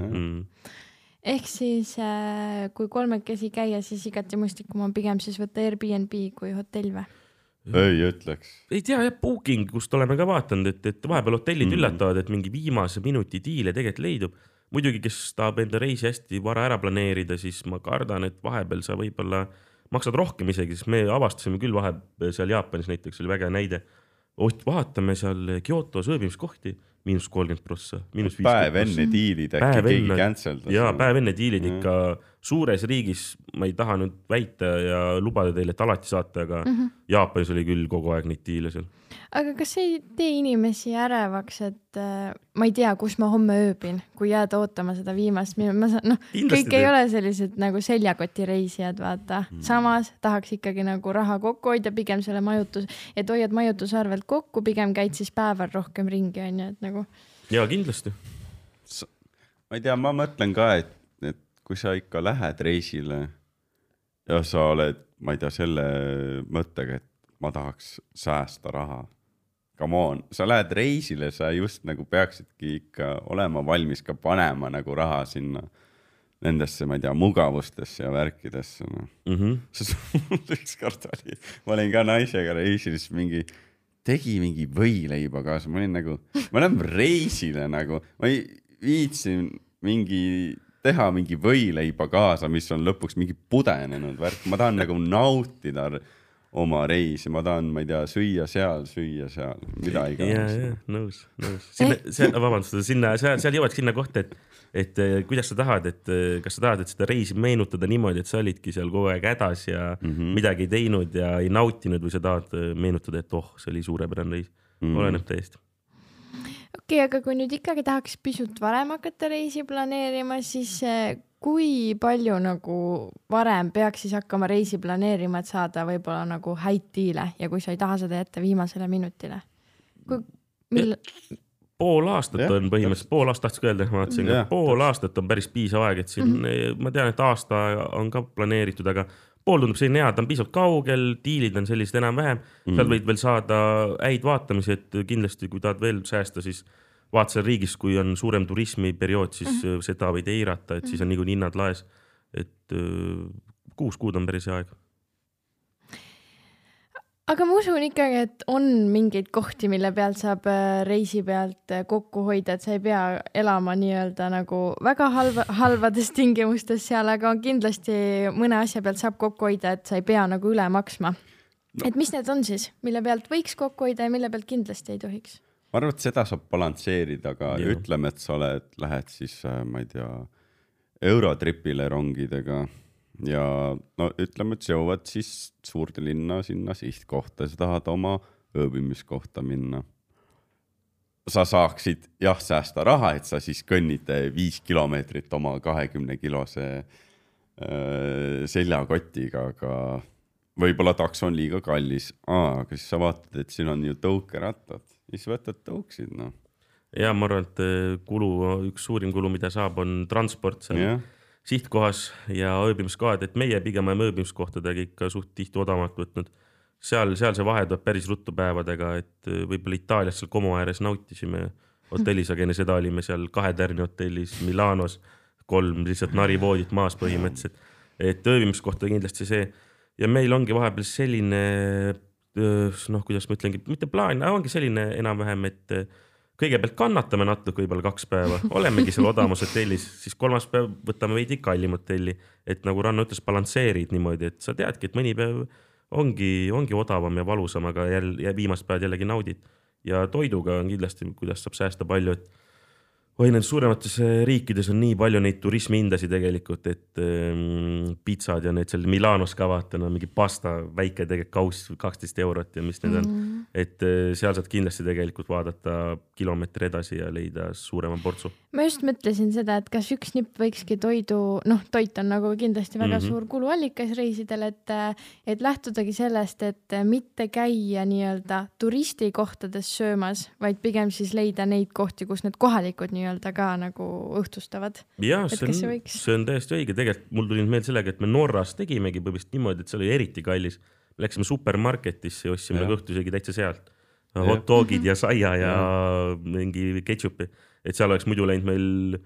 Ehk siis, kui kolmekesi käia, siis igati mõistlikum on pigem siis võtta Airbnb kui hotell või? Ei ütleks. Ei tea, Booking, kust oleme ka vaatanud, et vahepeal hotellid üllatavad, et mingi viimase minuti diile tegelikult leidub. Muidugi, kes tahab enda reisi hästi vara ära planeerida, siis ma kardan, et vahepeal sa võib-olla maksad rohkem isegi, sest me avastasime küll vahepeal seal Jaapanis näiteks, oli väga näide. Vaatame seal Kyotos ööbimiskohti, -30%, -50%. Päev enne diilid äkki keegi canceldas. Jaa, päev enne diilid ikka suures riigis, ma ei taha nüüd väita ja lubada teile, et alati saate, aga Jaapanis oli küll kogu aeg neid diile seal. Aga kas ei tee inimesi ärevaks, et ma ei tea, kus ma homme ööbin, kui jääda ootama seda viimast kõik ei ole sellised nagu seljakoti reisijad, vaata. Samas tahaks ikkagi nagu raha kokku hoida, pigem selle et hoiad majutusarvelt kokku, pigem käid siis päeval rohkem ringi, on ju, et nagu. Jaa, kindlasti. Ma ei tea, ma mõtlen ka, et kui sa ikka lähed reisile ja sa oled, ma ei tea, selle mõttega, et ma tahaks säästa raha. Come on, sa lähed reisile, sa just nagu peaksidki ikka olema valmis ka panema nagu raha sinna nendesse, ma ei tea, mugavustesse ja värkidesse. Üks kord oli, ma olin ka naisega reisilis tegi mingi võileiba kaasa, ma olen reisile nagu, ma ei viitsin teha mingi võileiba kaasa, mis on lõpuks mingi pudenenud värk, ma tahan nagu nautida oma reisi, ma tahan, ma ei tea, süüa seal, mida iganes. Jaa, nõus. Seal jõuad sinna kohta, et kuidas sa tahad, kas sa tahad, et seda reisi meenutada niimoodi, et sa olidki seal kogu aeg hädas ja midagi ei teinud ja ei nautinud, või sa tahad meenutada, et see oli suurepärane reis. Oleneb täiesti. Okei, aga kui nüüd ikkagi tahaks pisut varem hakata reisi planeerima, siis kui palju nagu varem peaks siis hakkama reisi planeerima, et saada võib-olla nagu häid diile ja kui sa ei taha seda jätta viimasele minutile? Pool aastat on põhimõtteliselt, pool aastat tahtsin öelda, pool aastat on päris piisav aeg, et siin ma tean, et aasta on ka planeeritud, aga pool tundub selline hea, ta on piisavalt kaugel, diilid on sellised enam-vähem, seal võid veel saada häid vaatamisi, et kindlasti kui tahad veel säästa, siis vaat seal riigis, kui on suurem turismiperiood, siis seda võid eirata, et siis on niikuinii hinnad laes, et 6 kuud on päris hea aeg. Aga ma usun ikkagi, et on mingeid kohti, mille pealt saab reisi pealt kokku hoida, et sa ei pea elama nii-öelda nagu väga halvades tingimustes seal, aga kindlasti mõne asja pealt saab kokku hoida, et sa ei pea nagu üle maksma. Et mis need on siis, mille pealt võiks kokku hoida ja mille pealt kindlasti ei tohiks? Ma arvan, et seda saab balansseerida, aga ütleme, et sa lähed siis, ma ei tea, Eurotripile rongidega ja ütleme, et sa jõuad siis suurde linna sinna sihtkohta ja sa tahad oma ööbimiskohta minna. Sa saaksid säästa raha, et sa siis kõnnid 5 kilomeetrit oma 20-kilose seljakotiga, aga võib-olla taks on liiga kallis. Aga siis sa vaatad, et siin on ju tõukerattad. Siis võtad tõuksid, Ja ma arvan, et üks suurim kulu, mida saab, on transport seal. sihtkohas ja ööbimiskohad, et meie pigem oleme ööbimiskohtadega ikka suht tihti odavamalt võtnud. Seal see vahe tuleb päris ruttu päevadega, et võib-olla Itaalias seal Como ääres nautisime hotellis, aga enne seda olime seal 2 tärni hotellis Milanos, 3 lihtsalt narivoodit maas põhimõtteliselt, et ööbimiskohta kindlasti see. Ja meil ongi vahepeal selline, noh, kuidas ma ütlengi, mitte plaan, ongi selline enam-vähem, et kõigepealt kannatame natuke võib-olla 2 päeva, olemegi seal odamas hotellis, siis 3. päev võtame veidi kallim hotelli, et nagu Ranno ütles, balansseerid niimoodi, et sa teadki, et mõni päev ongi odavam ja valusam, aga viimast päevad jällegi naudid. Ja toiduga on kindlasti, kuidas saab säästa palju, et nendes suuremates riikides on nii palju neid turismihindasid tegelikult, et pitsad ja need seal Milanos ka vaata, no mingi pasta, väike tegelikult kauss 12 eurot ja mis need on. Et seal saad kindlasti tegelikult vaadata kilomeetri edasi ja leida suurema portsu. Ma just mõtlesin seda, et kas üks nipp võikski toidu, noh, toit on nagu kindlasti väga suur kuluallikas reisidel, et lähtudagi sellest, et mitte käia nii-öelda turistikohtades söömas, vaid pigem siis leida neid kohti, kus need kohalikud nii-öelda ka nagu õhtustavad. Ja, see on täiesti õige. Tegelikult mul tuli meil sellega, et me Norras tegimegi põhimõtteliselt niimoodi, et see oli eriti kallis. Me läksime supermarketisse ja ostsime õhtusegi täitsa sealt. Hot dogid ja saia ja mingi ketšupi. Et seal oleks muidu läinud meil,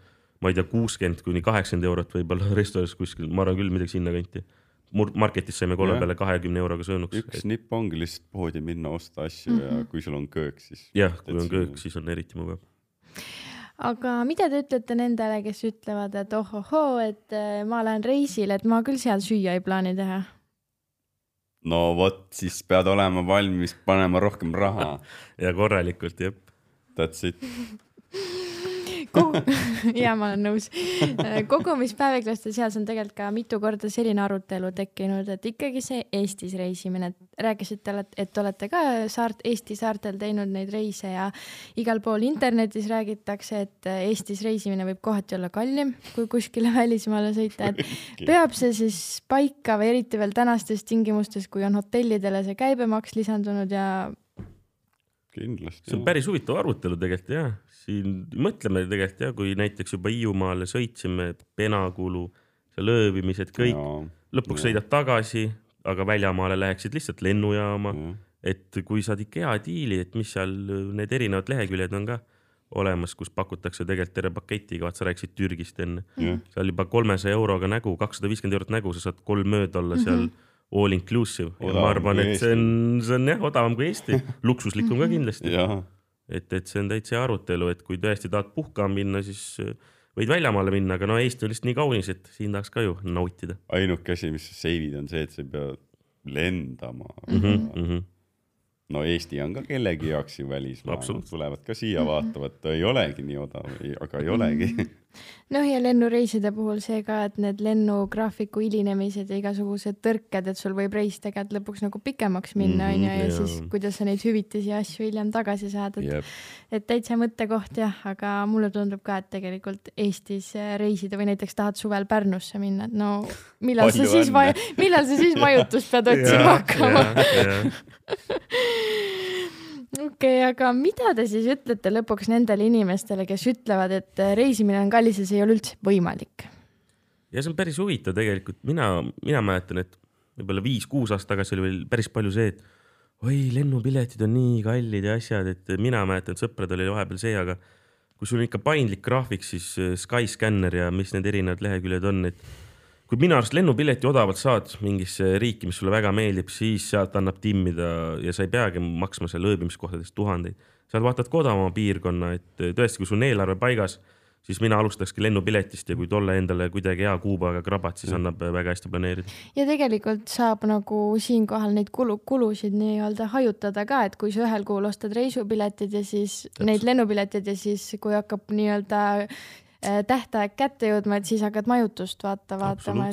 ma ei tea, 60 kuni 80 eurot võib-olla restoranis kuskil. Ma arvan küll midagi sinna kanti. Marketis saime 3 peale 20 euroga söönuks. Üks nipp ongi lihtsalt poodi minna osta asju ja kui sul on köök, siis... Jah, kui on köök, siis on eriti mugav. Aga mida te ütlete nendele, kes ütlevad, et et ma lähen reisile, et ma küll seal süüa ei plaani teha? No vot, siis pead olema valmis panema rohkem raha. Ja korralikult, jep. That's it. Ja ma olen nõus. Kogumispäeviklaste seas on tegelikult ka mitu korda selline arutelu tekkinud, et ikkagi see Eestis reisimine. Rääkisite, et olete ka Eesti saartel teinud neid reise ja igal pool internetis räägitakse, et Eestis reisimine võib kohati olla kallim, kui kuskile välismaale sõita. Et peab see siis paika või eriti veel tänastes tingimustes, kui on hotellidele see käibemaks lisandunud ja... Kindlasti. See on päris huvitav arutelu tegelikult, jah. Siin mõtleme tegelikult, jah, kui näiteks juba Hiiumaale sõitsime, penakulu, seal ööbimised, kõik. Lõpuks sõidad tagasi, aga väljamaale läheksid lihtsalt lennujaama. Et kui saad ikka hea diili, et mis seal need erinevad leheküljed on ka olemas, kus pakutakse tegelikult terve paketiga, vaat sa rääksid Türgist enne. Seal juba 300 euroga nägu, 250 eurot nägu, sa saad 3 ööd olla seal all inclusive. Ja ma arvan, et see on jah, odavam kui Eesti. Luksuslikum ka kindlasti. Et see on täitsa arutelu, et kui tõesti tahad puhkama minna, siis võid väljamaale minna, aga no Eesti on lihtsalt nii kaunis, et siin tahaks ka ju nautida. Ainuke asi, mis sa seivid, on see, et sa ei pea lendama. No Eesti on ka kellegi jaoks ju välismaa. Tulevad ka siia vaatavad, ei olegi nii odav, aga ei olegi. Noh ja lennureiside puhul see ka, et need lennugraafiku hilinemised ja igasugused tõrked, et sul võib reis tegelikult lõpuks nagu pikemaks minna ja siis kuidas sa neid hüvitisi ja asju hiljem tagasi saad. Et täitsa mõttekoht jah, aga mulle tundub ka, et tegelikult Eestis reisida või näiteks tahad suvel Pärnusse minna, et no millal sa siis majutust pead otsima hakkama? Okei, aga mida te siis ütlete lõpuks nendele inimestele, kes ütlevad, et reisimine on kallis ja see ei ole üldse võimalik? Ja see on päris huvitav tegelikult. Mina mäletan, et võib-olla 5-6 aastat tagasi oli veel päris palju see, et oi, lennupiletid on nii kallid ja asjad, et mina mäletan, et sõprad oli vahepeal see, aga kui sul on ikka paindlik graafik, siis Skyscanner ja mis need erinevad leheküljed on, et kui minu arust lennupileti odavalt saad mingisse riiki, mis sulle väga meeldib, siis sealt annab timmida ja sa ei peagi maksma seal ööbimiskohtadest 1000. Seal vaatad kodavama piirkonna, et tõesti, kui sul on eelarve paigas, siis mina alustakski lennupiletist ja kui tolle endale kuidagi hea kuubaga krabat, siis annab väga hästi planeerida. Ja tegelikult saab nagu siinkohal neid kulusid nii-öelda hajutada ka, et kui sa ühel kuul ostad reisupiletid ja siis neid lennupiletid ja siis kui hakkab nii-öelda tähtaeg kätte jõudma, et siis hakkad majutust vaatama,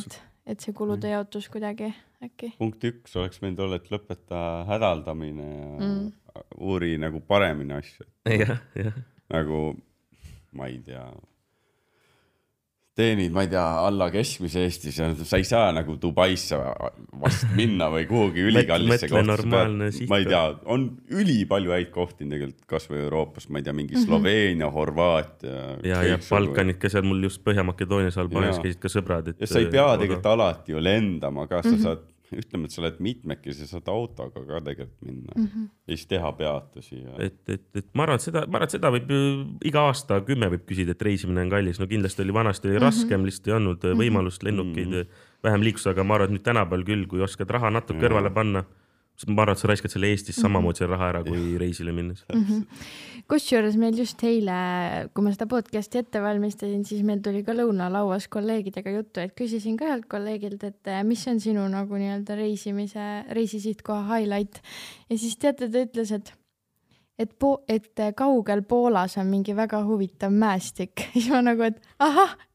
et see kulude jaotus kuidagi äkki. Punkt 1 oleks võinud olla, et lõpeta hädaldamine ja uuri nagu paremini asju. Ja. Nagu, ma ei tea, teenid, ma ei tea, alla keskmise Eestis ja sa ei saa nagu Dubaisse vast minna või kuhugi ülikallisse kohta. Ma ei tea, on ülipalju häid kohti tegelikult kas või Euroopas, ma ei tea, mingi Sloveenia, Horvaatia. Ja Balkanid ka seal mul just Põhja-Makedoonias Albaanias käisid ka sõbrad. Ja sa ei pea tegelikult alati ju lendama ka, sa saad ütleme, et sa oled mitmekesi, saad autoga ka tegelikult minna ja siis teha peatusi. Et ma arvan, et seda võib iga aasta 10 võib küsida, et reisimine on kallis. No kindlasti oli vanasti raskem, lihtsalt ei olnud võimalust lennukeid vähem liikus, aga ma arvan, et nüüd tänapäeval küll, kui oskad raha natuke kõrvale panna, ma arvan, et sa raiskad selle Eestis samamoodi selle raha ära, kui reisile minnes. Kusjuures meil just eile, kui ma seda podcasti ette valmistasin, siis meil tuli ka lõunalauas kolleegidega juttu, et küsisin ka ühelt kolleegilt, et mis on sinu nagu nii-öelda reisisihtkoha highlight. Ja siis teate, ta ütles, et kaugel Poolas on mingi väga huvitav mäestik. Siis ma nagu, et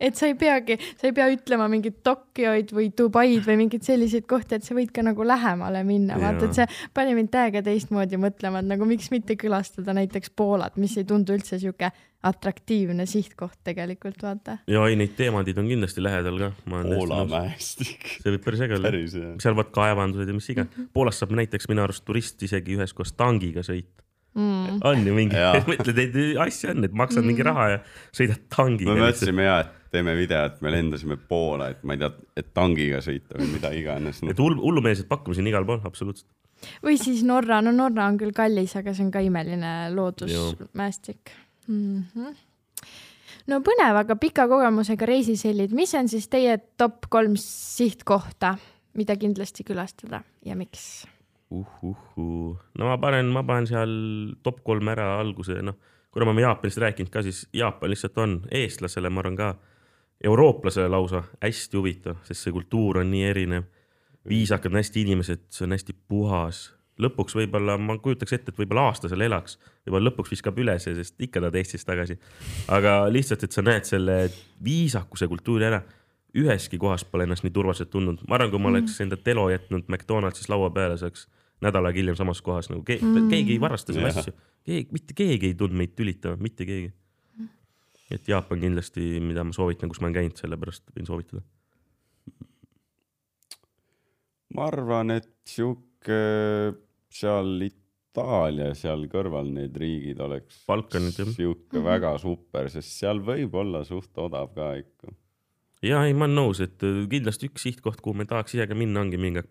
et sa ei pea ütlema mingit Tokyoid või Dubaid või mingid selliseid kohti, et sa võid ka nagu lähemale minna. Vaata, et see pani mind täiega teistmoodi mõtlema, et nagu miks mitte külastada näiteks Poolat, mis ei tundu üldse siuke atraktiivne sihtkoht tegelikult, vaata. Ja ei, neid teemandid on kindlasti lähedal ka. Poola mäestik. See võib päris äge olla. Seal vaat kaevandused ja mis iga. Poolas saab näiteks minu arust turist isegi ühes koos tangiga sõita. On ju mingi, mõtled, et asja on, et maksad mingi raha ja sõidad tangiga. Me mõtlesime et teeme video, et me lendasime Poola, et ma ei tea, et tangiga sõita või mida iganes. Et hullumeelsed pakkumised igal pool, absoluutselt. Või siis Norra, no Norra on küll kallis, aga see on ka imeline loodusmäestik. No põnev, aga pika kogemusega reisisellid, mis on siis teie top 3 sihtkohta, mida kindlasti külastada ja miks? No ma panen seal top 3 ära alguse, kuna ma Jaapanist rääkinud ka, siis Jaapan lihtsalt on eestlasele, ma arvan ka eurooplasele lausa hästi huvitav, sest see kultuur on nii erinev, viisakad on hästi inimesed, see on hästi puhas. Lõpuks võib-olla, ma kujutaks ette, et võib-olla aasta seal elaks, võib-olla lõpuks viskab üles, sest ikka ta Eestis tagasi. Aga lihtsalt, et sa näed selle viisakuse kultuuri ära, üheski kohas pole ennast nii turvaliselt tundnud. Ma arvan, kui ma oleks enda telo jätnud McDonaldsis laua peale, saaks nädalaga hiljem samas kohas. Nagu keegi ei varasta selle asju. Mitte keegi ei tundnud meid tülitama, mitte keegi. Et Jaapan kindlasti, mida ma soovitan, kus ma olen käinud, sellepärast võin soovitada. Ma arvan, et seal Itaalia, seal kõrval need riigid oleks siuke väga super, sest seal võib olla suht odav ka ikka. Ja ei, ma olen nõus, et kindlasti üks sihtkoht, kuhu me tahaks isegi minna, ongi mingi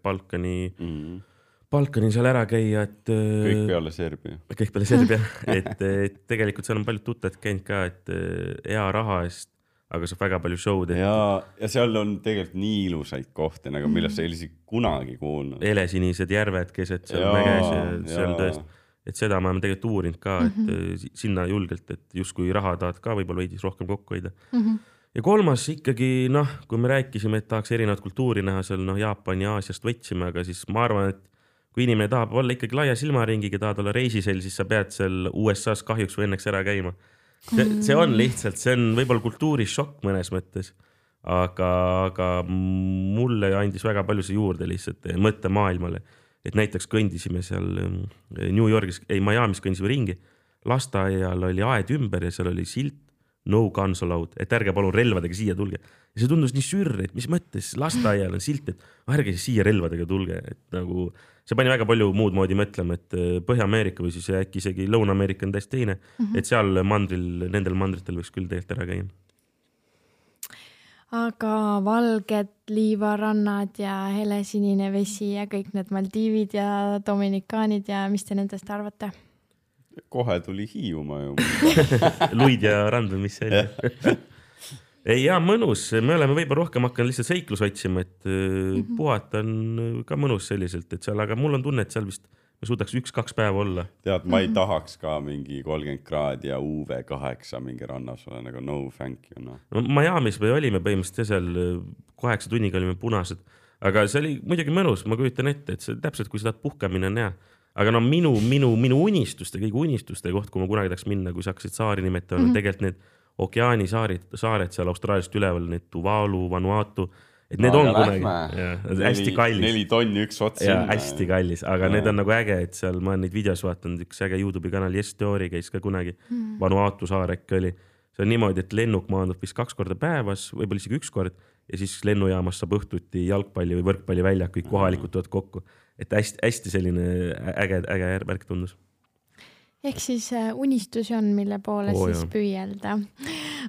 Balkani seal ära käia, et kõik peale Serbia. Kõik peale Serbia, et tegelikult seal on palju tuttavad käinud ka, et hea raha eest, aga saab väga palju show'd. Ja seal on tegelikult nii ilusaid kohti, nagu millest sa ei kunagi kuulnud. Helesinised järved keset seal mäges ja seal tõest. Et seda ma olen tegelikult uurinud ka, et sinna julgelt, et just kui raha tahad ka võib-olla veidis rohkem kokku hoida. Ja kolmas ikkagi, kui me rääkisime, et tahaks erinevat kultuuri näha seal, Jaapani ja Aasiast võtsime, aga siis ma arvan, et kui inimene tahab olla ikkagi laia silmaringiga, tahad olla reisisel, siis sa pead seal USA-s kahjuks või õnneks ära käima. See on lihtsalt, see on võib-olla kultuurishokk mõnes mõttes, aga mulle andis väga palju see juurde lihtsalt mõtte maailmale. Et näiteks kõndisime seal New Yorgis, Miami's kõndisime ringi, lasteaial oli aed ümber ja seal oli silt no guns allowed, et ärge palun relvadega siia tulge. Ja see tundus nii sürr, et mis mõttes lasteaial on silt, et ärge siia relvadega tulge. Et nagu, see pani väga palju muud moodi mõtlema, et Põhja-Ameerika või siis äkki isegi Lõuna-Ameerika on täiesti teine, et seal nendel mandritel võiks küll tegelikult ära käia. Aga valged liivarannad ja helesinine vesi ja kõik need Maldiivid ja Dominikaanid ja mis te nendest arvate? Kohe tuli Hiiumaa ju. Luid ja rand või mis see oli. Ei, mõnus. Me oleme võib-olla rohkem hakanud lihtsalt seiklus otsima, et puhata on ka mõnus selliselt, et seal, aga mul on tunne, et seal vist me suudaks 1-2 päeva olla. Tead, ma ei tahaks ka mingi 30 kraadi ja UV8 mingi rannas ole, nagu no thank you. No, Miami's me olime põhimõtteliselt seal 8 tunniga olime punased, aga see oli muidugi mõnus, ma kujutan ette, et see täpselt kui seda puhkamine on hea. Aga minu unistuste, kõige unistuste koht, kui ma kunagi tahaks minna, kui sa hakkasid saari nimetama, tegelikult need okeaanisaared seal Austraaliast üleval, need Tuvalu, Vanuatu, et need on kunagi hästi kallis. 4 tonni üks ots. Ja hästi kallis, aga need on nagu äge, et seal ma olen neid videos vaatanud, üks äge YouTube'i kanal Yes Theory käis ka kunagi, Vanuatu saar äkki oli. see on niimoodi, et lennuk maandub vist 2 korda päevas, võib-olla isegi 1 kord ja siis lennujaamas saab õhtuti jalgpalli või võrkpalli välja, kõik kohalikud tulevad kokku. Et hästi selline äge värk tundus. Ehk siis unistusi on, mille poole siis püüelda.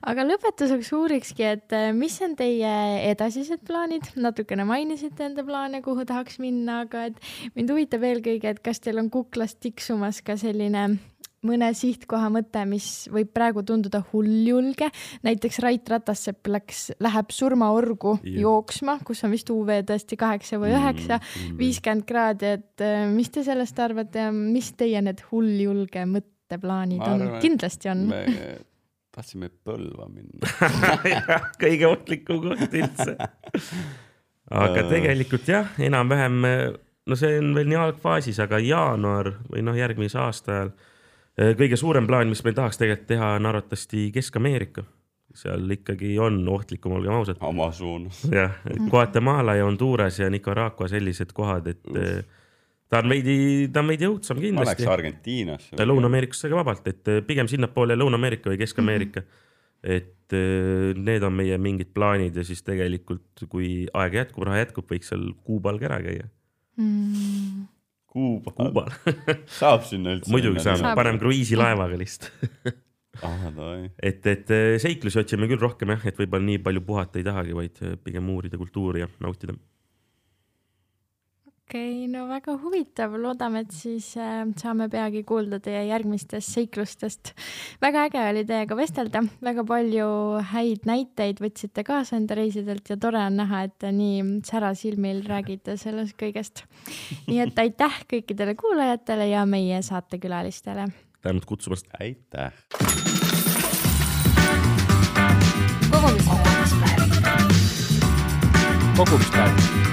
Aga lõpetuseks uurikski, et mis on teie edasised plaanid? Natukene mainisite enda plaane, kuhu tahaks minna, aga et mind huvitab eelkõige, et kas teil on kuklast tiksumas ka selline mõne sihtkoha mõte, mis võib praegu tunduda hulljulge. Näiteks Rait Ratassepp läheb surmaorgu jooksma, kus on vist UV tõesti 8 või 9, 50 kraadi, et mis te sellest arvate ja mis teie need hulljulge mõtteplaanid on? Kindlasti on. Me tahtsime Põlva minna. Kõige ohtlikum koht üldse. Aga tegelikult jah, enam-vähem, no see on veel nii algfaasis, aga jaanuar või järgmise aasta ajal kõige suurem plaan, mis meil tahaks tegelikult teha, on arvatavasti Kesk-Ameerika. Seal ikkagi on ohtlikum, olgem ausad. Amazonas. Jah, Guatemala ja Honduras ja Nicaragua sellised kohad, et ta on veidi õudsam kindlasti. Ma läks Argentiinasse. Lõuna-Ameerikasse ka vabalt, et pigem sinnapoole Lõuna-Ameerika või Kesk-Ameerika. Et need on meie mingid plaanid ja siis tegelikult, kui aeg jätkub, raha jätkub, võiks seal Kuubal ära käia. Kuubal. Saab sinna üldse. Muidugi saab, panem kruiisilaevaga lihtsalt. Et seiklusi otsime küll rohkem, et võib-olla nii palju puhata ei tahagi, vaid pigem uurida kultuuri ja nautida. Okei, no väga huvitav. Loodame, et siis saame peagi kuulda teie järgmistest seiklustest. Väga äge oli teiega vestelda. Väga palju häid näiteid võtsite kaasa enda reisidelt ja tore on näha, et nii särasilmil räägite sellest kõigest. Nii et aitäh kõikidele kuulajatele ja meie saatekülalistele. Tänud kutsumast. Aitäh. Kogumispäev.